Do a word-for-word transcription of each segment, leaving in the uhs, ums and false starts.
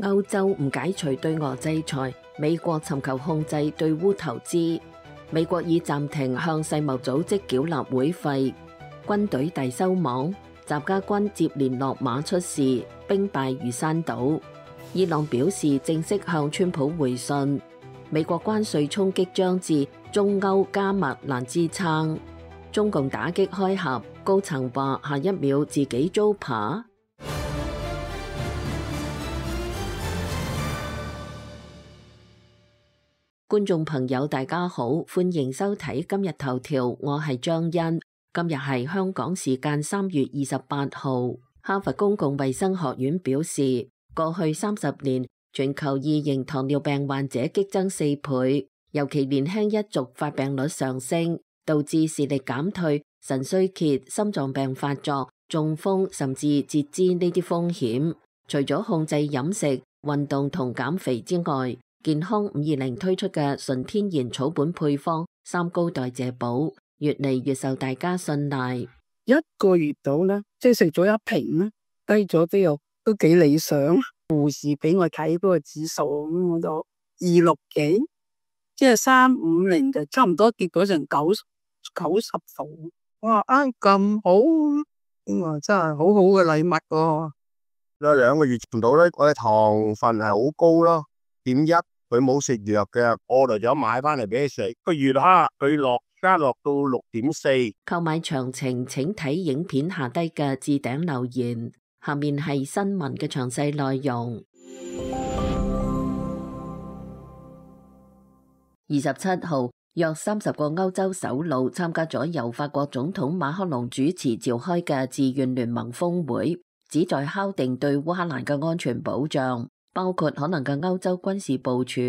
歐洲唔解除對俄制裁，美國尋求控制對烏投資。美國已暫停向世貿組織繳納會費。軍隊大收網，習家軍接連落馬出事，兵敗如山倒。伊朗表示正式向川普回信。美國關稅衝擊將至，中歐加密難支撐。中共打擊開合，高層話下一秒自己遭扒。觀眾朋友大家好，歡迎收睇今日頭條，我係張欣。今日係香港時間三月二十八號。哈佛公共衛生學院表示，過去三十年全球二型糖尿病患者激增四倍，尤其年輕一族發病率上升，導致視力減退、腎衰竭、心臟病發作、中風甚至截肢呢啲風險。除咗控制飲食、運動同減肥之外，健康五二零推出嘅純天然草本配方三高代謝寶越嚟越受大家信賴。一個月到咧，即係食咗一瓶咧，低咗之後都幾理想。護士俾我睇嗰個指數，咁我就二六幾，即係三五零就差唔多跌咗成九九十度。哇！啊咁好，咁啊真係好好嘅禮物喎。有兩個月唔到咧，我嘅糖分係好高咯。點一佢冇食藥嘅，我嚟咗買翻嚟俾佢食。個月哈佢落加落到六點四。購買詳情請睇影片下低嘅置頂留言。下面係新聞嘅詳細內容。二十七號，約三十個歐洲首腦參加咗由法國總統馬克龍主持召開嘅自願聯盟峰會，旨在敲定對烏克蘭嘅安全保障，包括可能嘅歐洲軍事部署，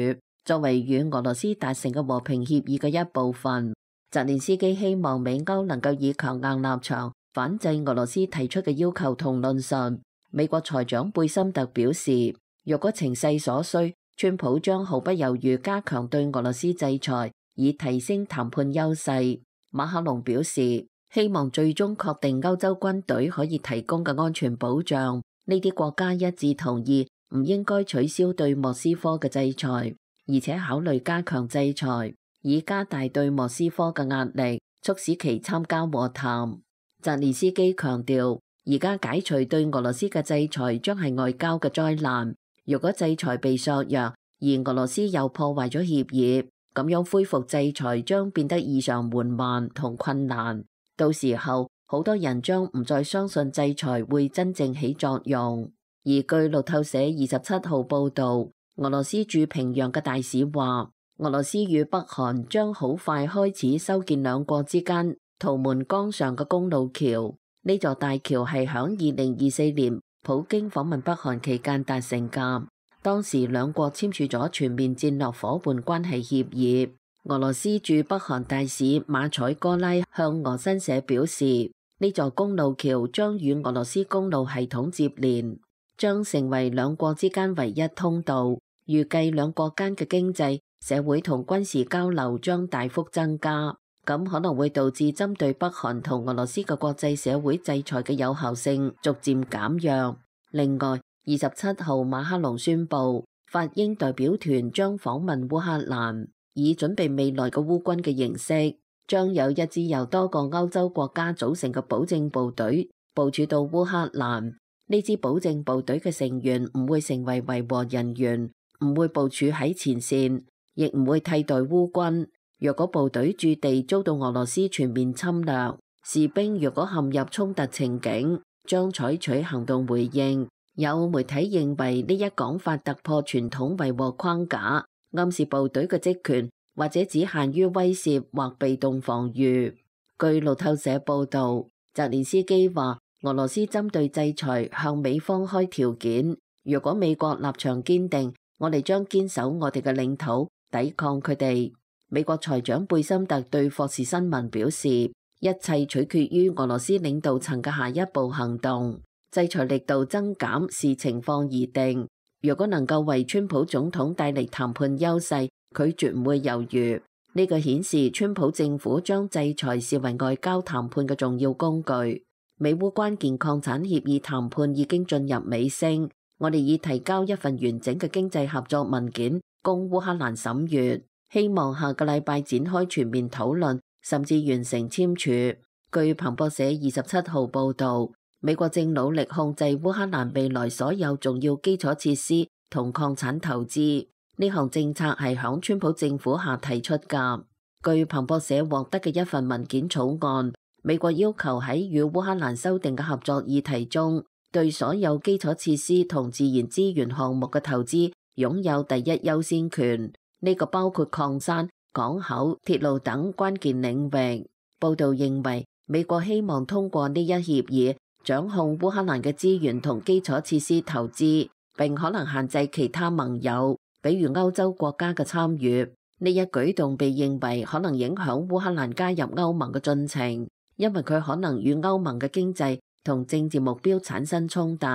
作為與俄羅斯達成嘅和平協議嘅一部分。澤連斯基希望美歐能夠以強硬立場反制俄羅斯提出嘅要求同論述。美國財長貝森特表示，若果情勢所需，川普將毫不猶豫加強對俄羅斯制裁，以提升談判優勢。馬克龍表示，希望最終確定歐洲軍隊可以提供嘅安全保障。呢啲國家一致同意唔應該取消對莫斯科嘅制裁，而且考慮加強制裁，以加大對莫斯科嘅壓力，促使其參加和談。澤連斯基強調，而家解除對俄羅斯嘅制裁將係外交嘅災難。如果制裁被削弱，而俄羅斯又破壞咗協議，咁樣恢復制裁將變得異常緩慢同困難。到時候，好多人將唔再相信制裁會真正起作用。而據路透社二十七號報導，俄羅斯駐平壤嘅大使話，俄羅斯與北韓將好快開始修建兩國之間圖們江上嘅公路橋。呢座大橋係響二零二四年普京訪問北韓期間達成㗎，當時兩國簽署咗全面戰略夥伴關係協議。俄羅斯駐北韓大使馬采哥拉向俄新社表示，呢座公路橋將與俄羅斯公路系統接連，將成為兩國之間唯一通道。預計兩國間嘅經濟、社會同軍事交流將大幅增加，咁可能會導致針對北韓同俄羅斯嘅國際社會制裁嘅有效性逐漸減弱。另外，二十七號馬克龍宣布，法英代表團將訪問烏克蘭，以準備未來嘅烏軍嘅形式，將有一支由多個歐洲國家組成嘅保證部隊部署到烏克蘭。呢支保證部隊嘅成員唔會成為維和人員，唔會部署喺前線，亦唔會替代烏軍。若果部隊駐地遭到俄羅斯全面侵略，士兵若果陷入衝突情景，將採取行動回應。有媒體認為呢一講法突破傳統維和框架，暗示部隊嘅職權或者只限於威懾或被動防禦。據路透社報導，澤連斯基話俄羅斯針對制裁向美方開條件，如果美國立場堅定，我哋將堅守我哋嘅領土，抵抗佢哋。美國財長貝森特對霍士新聞表示，一切取決於俄羅斯領導層嘅下一步行動，制裁力度增減視情況而定。如果能夠為川普總統帶嚟談判優勢，佢絕唔會猶豫。呢個顯示川普政府將制裁視為外交談判嘅重要工具。美烏關鍵礦產協議談判已經進入尾聲，我哋已提交一份完整嘅經濟合作文件供烏克蘭審閱，希望下個禮拜展開全面討論，甚至完成簽署。據彭博社二十七號報導，美國正努力控制烏克蘭未來所有重要基礎設施同礦產投資。呢項政策係響川普政府下提出㗎。據彭博社獲得嘅一份文件草案，美國要求喺與烏克蘭修訂嘅合作議題中，對所有基礎設施同自然資源項目嘅投資擁有第一優先權。呢個包括礦山、港口、鐵路等關鍵領域。報導認為，美國希望通過呢一協議掌控烏克蘭嘅資源同基礎設施投資，並可能限制其他盟友，比如歐洲國家嘅參與。呢一舉動被認為可能影響烏克蘭加入歐盟嘅進程，因為佢可能與歐盟嘅經濟同政治目標產生衝突。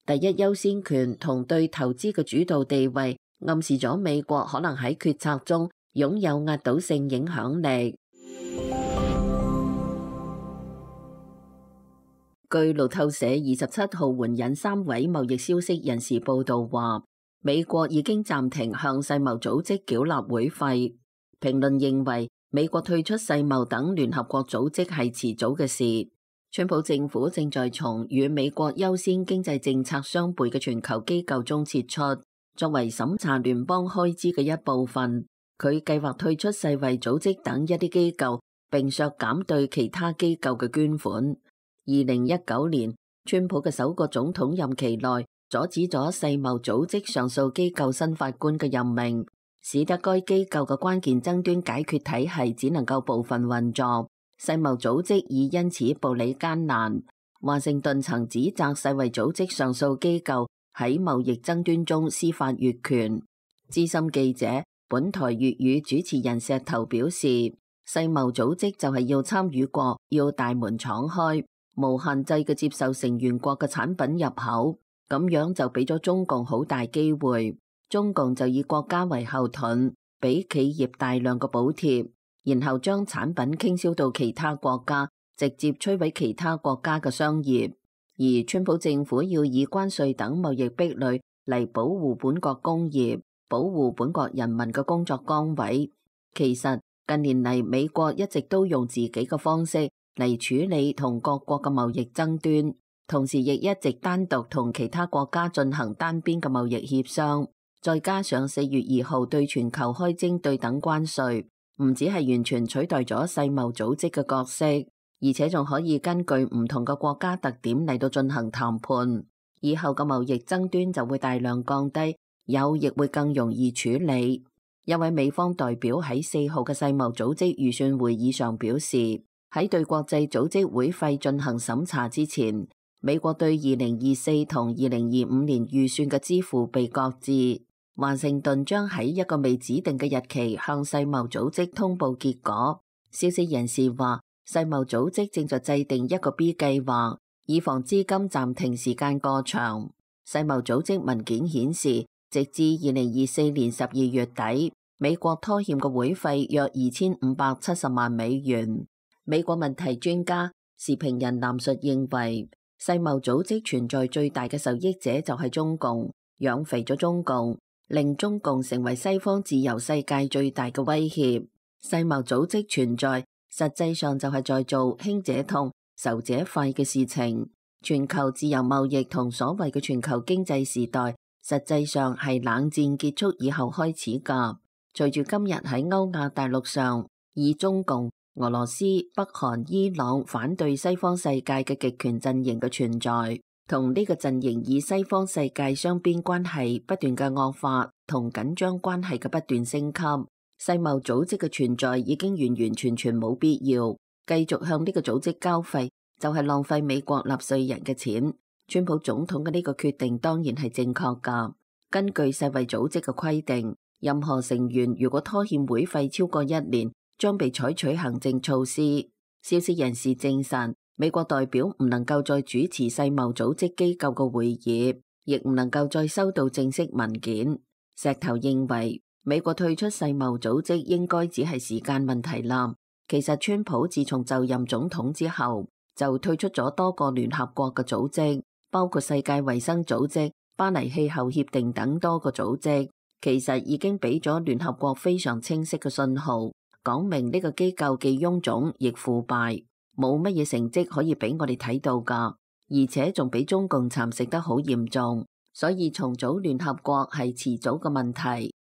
第一優先權同對投資嘅主導地位暗示咗美國可能喺決策中擁有壓倒性影響力。據路透社二十七號援引三位貿易消息人士報道話，美國已經暫停向世貿組織繳納會費。評論認為，美國退出世貿等聯合國組織係遲早嘅事。川普政府正在從與美國優先經濟政策相悖嘅全球機構中撤出，作為審查聯邦開支嘅一部分。佢計劃退出世衛組織等一啲機構，並削減對其他機構嘅捐款。二零一九年，川普嘅首個總統任期內，阻止咗世貿組織上訴機構新法官嘅任命，使得該機構嘅關鍵爭端解決體系只能夠部分運作。世貿組織已因此步履艱難。華盛頓曾指責世衛組織上訴機構喺貿易爭端中司法越權。資深記者、本台粵語主持人石頭表示，世貿組織就係要參與國要大門敞開，無限制嘅接受成員國嘅產品入口，咁樣就俾咗中共好大機會。中共就以國家為後盾，俾企業大量嘅補貼，然後將產品傾銷到其他國家，直接摧毀其他國家嘅商業。而川普政府要以關稅等貿易壁壘嚟保護本國工業，保護本國人民嘅工作崗位。其實近年嚟，美國一直都用自己嘅方式嚟處理同各國嘅貿易爭端，同時亦一直單獨同其他國家進行單邊嘅貿易協商。再加上四月二號對全球開徵對等關稅，唔止係完全取代咗世貿組織嘅角色，而且仲可以根據唔同嘅國家特點嚟到進行談判。以後嘅貿易爭端就會大量降低，有亦會更容易處理。一位美方代表喺四號嘅世貿組織預算會議上表示，喺對國際組織會費進行審查之前，美國對二零二四同二零二五年預算嘅支付被擱置。華盛頓將喺一個未指定嘅日期向世貿組織通報結果。消息人士話，世貿組織正在制定一個 B 計劃，以防資金暫停時間過長。世貿組織文件顯示，直至二零二四年十二月底，美國拖欠嘅會費約二千五百七十萬美元。美國問題專家、時評人藍述認為，世貿組織存在最大嘅受益者就係中共，養肥咗中共，令中共成為西方自由世界最大嘅威脅。世貿組織存在，實際上就係在做輕者痛、仇者快嘅事情。全球自由貿易同所謂嘅全球經濟時代，實際上係冷戰結束以後開始㗎。隨住今日喺歐亞大陸上，以中共、俄羅斯、北韓、伊朗反對西方世界嘅極權陣營嘅存在，同呢個陣營以西方世界雙邊關係不斷嘅惡化，同緊張關係嘅不斷升級，世貿組織嘅存在已經完完全全冇必要。繼續向呢個組織交費，就係浪費美國納稅人嘅錢。川普總統嘅呢個決定當然係正確㗎。根據世衛組織嘅規定，任何成員如果拖欠會費超過一年，將被採取行政措施。消息人士證實，美國代表唔能夠再主持世貿組織機構嘅會議，亦唔能夠再收到正式文件。石頭認為，美國退出世貿組織應該只係時間問題啦。其實川普自從就任總統之後，就退出咗多個聯合國嘅組織，包括世界衛生組織、巴黎氣候協定等多個組織，其實已經俾咗聯合國非常清晰嘅信號，講明呢個機構既臃腫亦腐敗，冇乜嘢成績可以俾我哋睇到㗎，而且仲俾中共蠶食得好嚴重，所以重組聯合國係遲早嘅問題。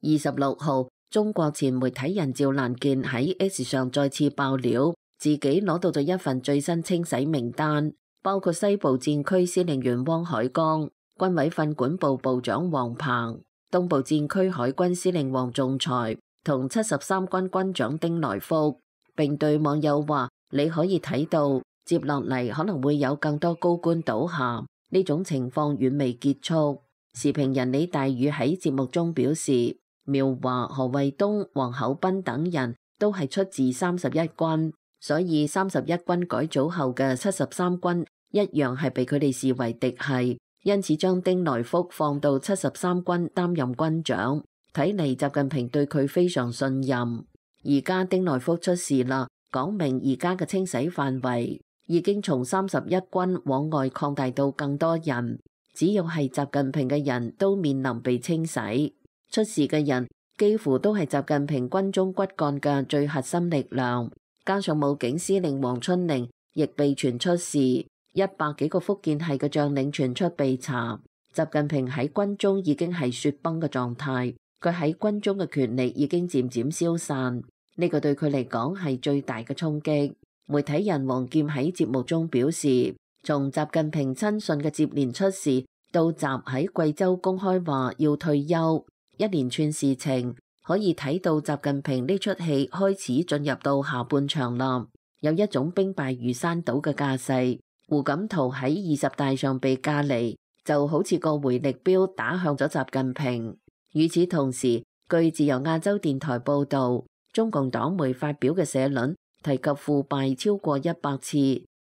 二十六號，中國前媒體人趙蘭健喺 X 上再次爆料，自己攞到咗一份最新清洗名單，包括西部戰區司令員汪海江、軍委訓管部部長王鵬、東部戰區海軍司令王仲才同七十三軍軍長丁來福，並對網友話：你可以睇到，接落嚟可能會有更多高官倒下，呢種情況遠未結束。時評人李大宇喺節目中表示，苗華、何衛東、黃厚斌等人都係出自三十一軍，所以三十一軍改組後嘅七十三軍一樣係被佢哋視為敵系，因此將丁來福放到七十三軍擔任軍長，睇嚟習近平對佢非常信任。而家丁來福出事啦，講明而家嘅清洗範圍已經從三十一軍往外擴大到更多人，只要係習近平嘅人都面臨被清洗。出事嘅人幾乎都係習近平軍中骨幹嘅最核心力量，加上武警司令黃春寧亦被傳出事，一百幾個福建系嘅將領傳出被查。習近平喺軍中已經係雪崩嘅狀態，佢喺軍中嘅權力已經漸漸消散，呢個對佢嚟講係最大嘅衝擊。媒體人王劍喺節目中表示，從習近平親信嘅接連出事到習喺貴州公開話要退休，一連串事情可以睇到習近平呢出戲開始進入到下半場啦，有一種兵敗如山倒嘅架勢。胡錦濤喺二十大上被架離，就好似個回力鏢打向咗習近平。與此同時，據自由亞洲電台報道，中共黨媒發表嘅社論提及腐敗超過一百次，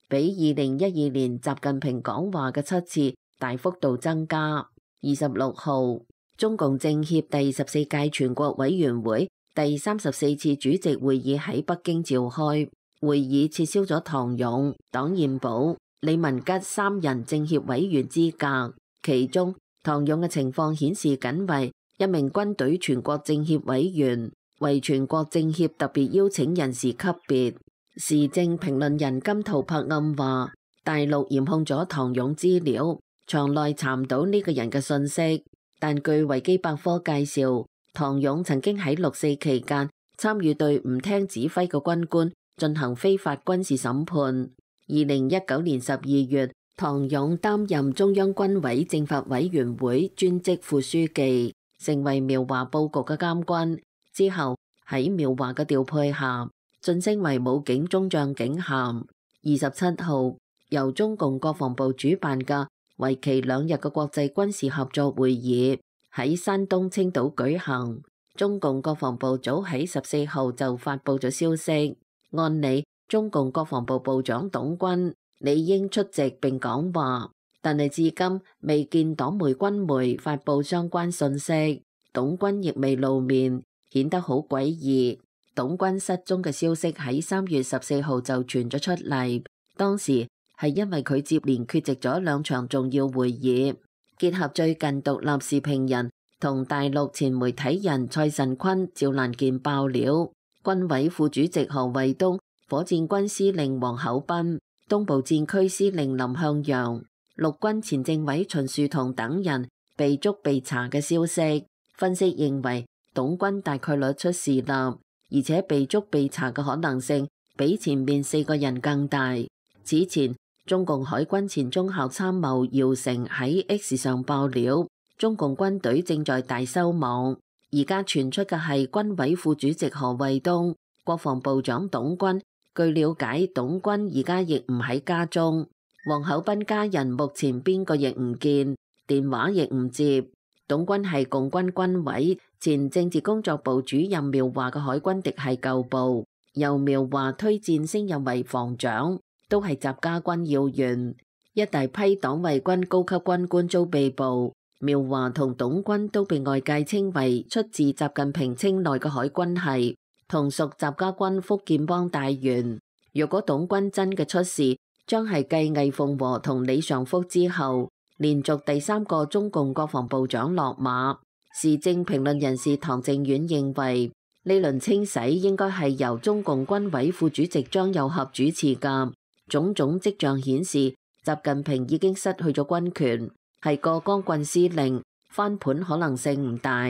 比二零一二年習近平講話嘅七次大幅度增加。二十六號，中共政協第十四屆全國委員會第三十四次主席會議喺北京召開，會議撤銷咗唐勇、黨彥寶、李文吉三人政協委員資格，其中唐勇嘅情況顯示僅為一名軍隊全國政協委員，為全國政協特別邀請人士級別。時政評論人金圖柏暗話，大陸嚴控咗唐勇資料，場內查唔到呢個人嘅信息。但據維基百科介紹，唐勇曾經喺六四期間參與對唔聽指揮嘅軍官進行非法軍事審判。二零一九年十二月，唐勇擔任中央軍委政法委員會專職副書記，成為苗華佈局嘅監軍。之後喺苗華嘅調配下，晉升為武警中將警銜。二十七號，由中共國防部主辦嘅為期兩日嘅國際軍事合作會議喺山東青島舉行。中共國防部早喺十四號就發佈咗消息，按理中共國防部部長董軍理應出席並講話，但係至今未見黨媒軍媒發佈相關信息，董軍亦未露面，顯得好詭異。董軍失蹤嘅消息喺三月十四號就傳咗出嚟，當時係因為佢接連缺席咗兩場重要會議。結合最近獨立時評人同大陸前媒體人蔡慎坤、趙蘭健爆料，軍委副主席何衛東、火箭軍司令王厚斌、東部戰區司令林向陽、陸軍前政委秦樹同等人被捉被查嘅消息。分析認為，董軍大概率出事啦，而且被捉被查嘅可能性比前面四個人更大。此前，中共海軍前中校參謀姚成喺 X 上爆料，中共軍隊正在大修網。而家傳出嘅係軍委副主席何衛東、國防部長董軍。據了解，董軍而家亦唔喺家中，王厚斌家人目前邊個亦唔見，電話亦唔接。董軍係共軍軍委前政治工作部主任苗華嘅海軍嫡系舊部，由苗華推薦升任為防長，都係習家軍要員。一大批黨衛軍高級軍官遭被捕，苗華同董軍都被外界稱為出自習近平青睞嘅海軍系，同屬習家軍福建幫大員。若果董軍真嘅出事，將係繼魏鳳和同李尚福之後，連續第三個中共國防部長落馬。時政評論人士唐正遠認為，呢輪清洗應該係由中共軍委副主席張又俠主持㗎。種種跡象顯示，習近平已經失去咗軍權，係個光棍司令，翻盤可能性唔大。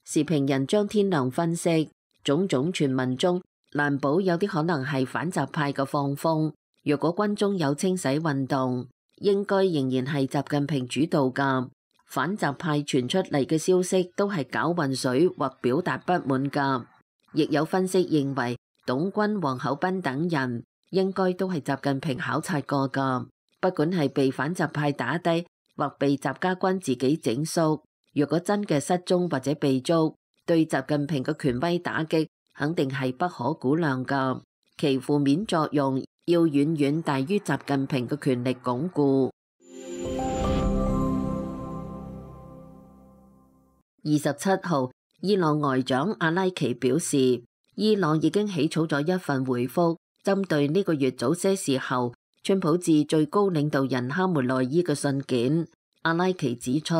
時評人張天亮分析，種種傳聞中難保有啲可能係反習派嘅放風。若果軍中有清洗運動，應該仍然係習近平主導㗎。反習派傳出嚟嘅消息都係攪混水或表達不滿㗎。亦有分析認為，董軍、王厚斌等人應該都係習近平考察過㗎。不管係被反習派打低，或被習家軍自己整肅，若果真嘅失蹤或者被捉，對習近平嘅權威打擊肯定係不可估量㗎。其負面作用要遠遠大於習近平嘅權力鞏固。二十七號，伊朗外長阿拉奇表示，伊朗已經起草咗一份回覆，針對呢個月早些時候川普致最高領導人哈梅內伊嘅信件。阿拉奇指出，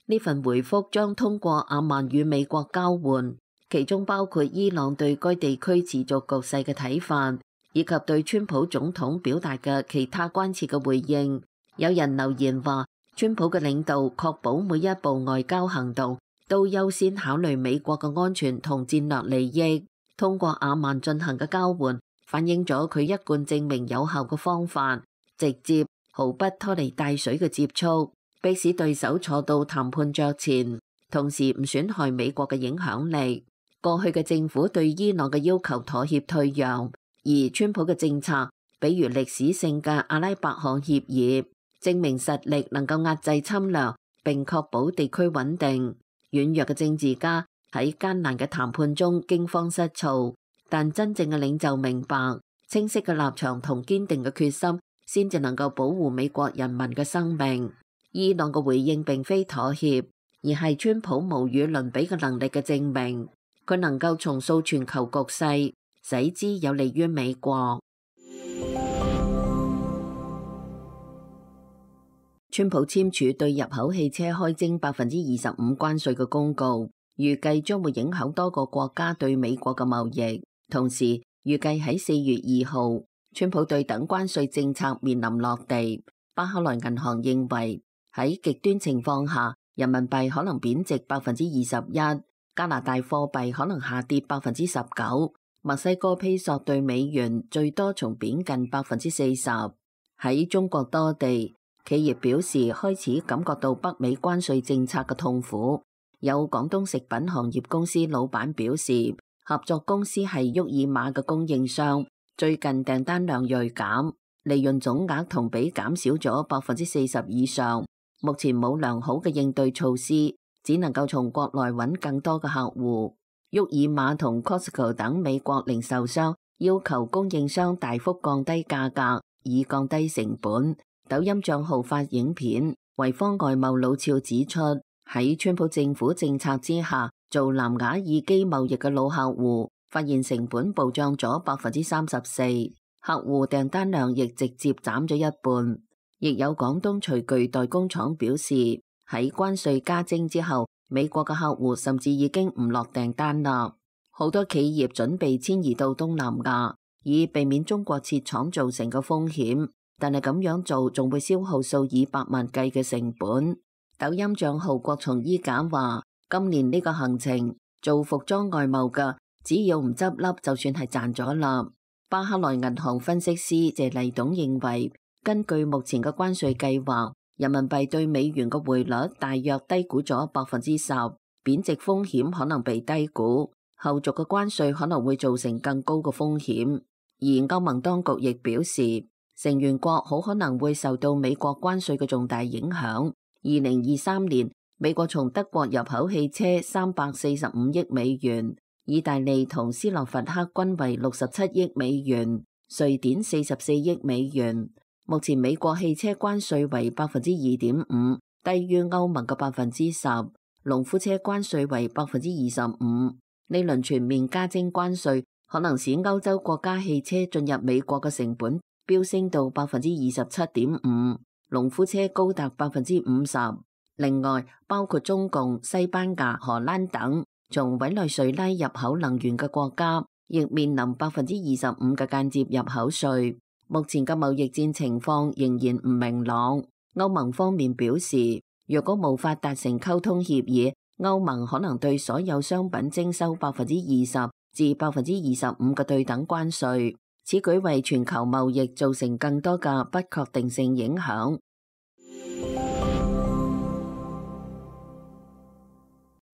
呢份回覆將通過阿曼與美國交換，其中包括伊朗對該地區持續局勢嘅睇法，以及對川普總統表達嘅其他關切嘅回應。有人留言話，川普嘅領導確保每一步外交行動都優先考慮美國嘅安全同戰略利益。通過阿曼進行嘅交換，反映咗佢一貫證明有效嘅方法，直接毫不拖泥帶水嘅接觸，迫使對手坐到談判桌前，同時唔損害美國嘅影響力。過去嘅政府對伊朗嘅要求妥協退讓，而川普嘅政策，比如歷史性嘅阿拉伯項協議，證明實力能夠壓制侵略並確保地區穩定。軟弱嘅政治家喺艱難嘅談判中驚慌失措，但真正嘅領袖明白，清晰嘅立場同堅定嘅決心，先至能夠保護美國人民嘅生命。伊朗嘅回應並非妥協，而係川普無與倫比嘅能力嘅證明，佢能夠重塑全球局勢，使之有利於美國。川普簽署對入口汽車開徵百分之二十五關稅嘅公告，預計將會影響多個國家對美國嘅貿易。同時，預計喺四月二號，川普對等關稅政策面臨落地。巴克萊銀行認為喺極端情況下，人民幣可能貶值百分之二十一，加拿大貨幣可能下跌百分之十九，墨西哥披索對美元最多重貶近百分之四十。喺中國多地，企業表示開始感覺到北美關稅政策嘅痛苦。有廣東食品行業公司老闆表示，合作公司係沃爾瑪嘅供應商，最近訂單量銳減，利潤總額同比減少咗百分之四十以上。目前冇良好嘅應對措施，只能夠從國內揾更多嘅客戶。沃爾瑪同 Costco 等美國零售商要求供應商大幅降低價格，以降低成本。抖音賬號發影片，維方外貿老俏指出，喺川普政府政策之下，做藍牙耳機貿易嘅老客戶發現成本暴漲咗百分之三十四，客戶訂單量亦直接減咗一半。亦有廣東廚具代工廠表示，喺關稅加徵之後，美國嘅客戶甚至已經唔落訂單啦。好多企業準備遷移到東南亞，以避免中國設廠造成嘅風險。但係咁樣做仲會消耗數以百萬計嘅成本。抖音賬號國從衣架話，今年呢個行程做服裝外貿嘅，只要唔執笠就算係賺咗啦。巴克萊銀行分析師謝麗董認為，根據目前嘅關稅計劃，人民幣對美元嘅匯率大約低估咗百分之十，貶值風險可能被低估，後續嘅關稅可能會造成更高嘅風險。而歐盟當局亦表示，成員國好可能會受到美國關稅嘅重大影響。二零二三年，美國從德國入口汽車三百四十五億美元，意大利同斯洛伐克均為六十七億美元，瑞典四十四億美元。目前美國汽車關稅為百分之二點五，低於歐盟嘅百分之十。農夫車關稅為百分之二十五。呢輪全面加徵關稅，可能使歐洲國家汽車進入美國嘅成本飆升到百分之二十七點五，農夫車高達百分之五十。另外，包括中共、西班牙、荷蘭等從委內瑞拉入口能源嘅國家，亦面臨百分之二十五嘅間接入口稅。目前嘅貿易戰情況仍然唔明朗。歐盟方面表示，若果無法達成溝通協議，歐盟可能對所有商品徵收百分之二十至百分之二十五嘅對等關稅。此舉為全球貿易造成更多嘅不確定性影響。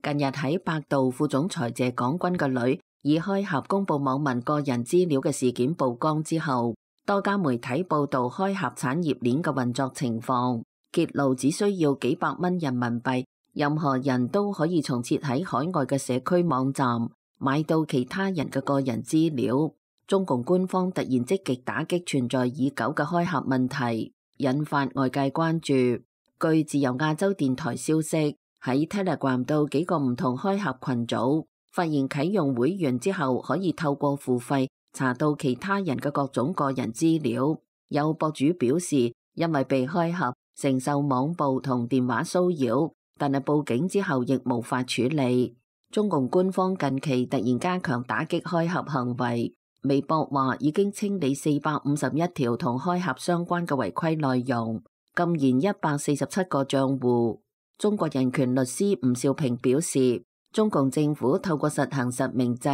近日喺百度副總裁謝廣軍嘅女以開盒公布網民個人資料嘅事件曝光之後，多家媒體報道開盒產業鏈嘅運作情況，揭露只需要幾百蚊人民幣，任何人都可以從設喺海外嘅社區網站買到其他人嘅個人資料。中共官方突然積極打擊存在已久嘅開盒問題，引發外界關注。據自由亞洲電台消息，喺 Telegram 到幾個唔同開盒群組，發現啟用會員之後可以透過付費查到其他人嘅各種個人資料。有博主表示，因為被開盒，承受網暴同電話騷擾，但係報警之後亦無法處理。中共官方近期突然加強打擊開盒行為。微博話已經清理四百五十一條同開盒相關嘅違規內容，禁言一百四十七個賬戶。中國人權律師吳兆平表示，中共政府透過實行實名制，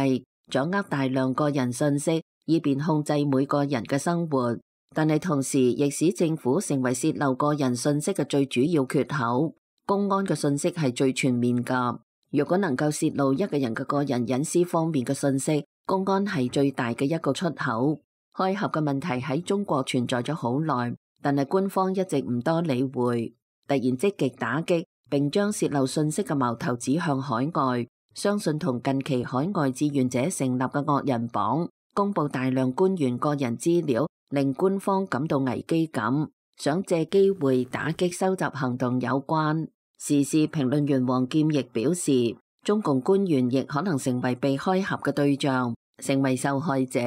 掌握大量個人信息，以便控制每個人嘅生活，但係同時亦使政府成為洩漏個人信息嘅最主要缺口。公安嘅信息係最全面㗎，如果能夠洩露一個人嘅個人隱私方面嘅信息，公安係最大嘅一個出口。開盒嘅問題喺中國存在咗好耐，但係官方一直唔多理會，突然積極打擊，並將洩漏信息嘅矛頭指向海外。相信同近期海外志願者成立嘅惡人榜公布大量官員個人資料，令官方感到危機感，想借機會打擊收集行動有關。時事評論員王劍亦表示，中共官員亦可能成為被開盒嘅對象，成為受害者。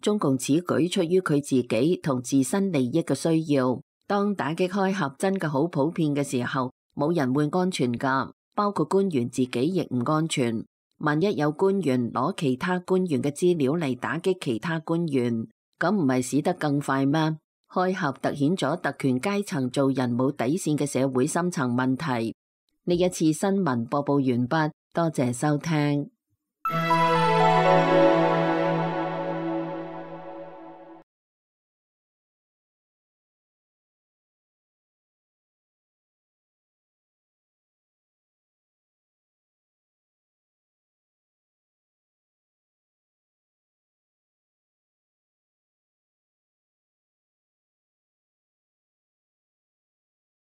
中共此舉出於佢自己同自身利益嘅需要。當打擊開盒真嘅好普遍嘅時候，冇人會安全㗎，包括官員自己亦唔安全。萬一有官員攞其他官員嘅資料嚟打擊其他官員，咁唔係死得更快咩？開盒凸顯咗特權階層做人冇底線嘅社會深層問題。呢一次新聞播報完畢，多謝收聽。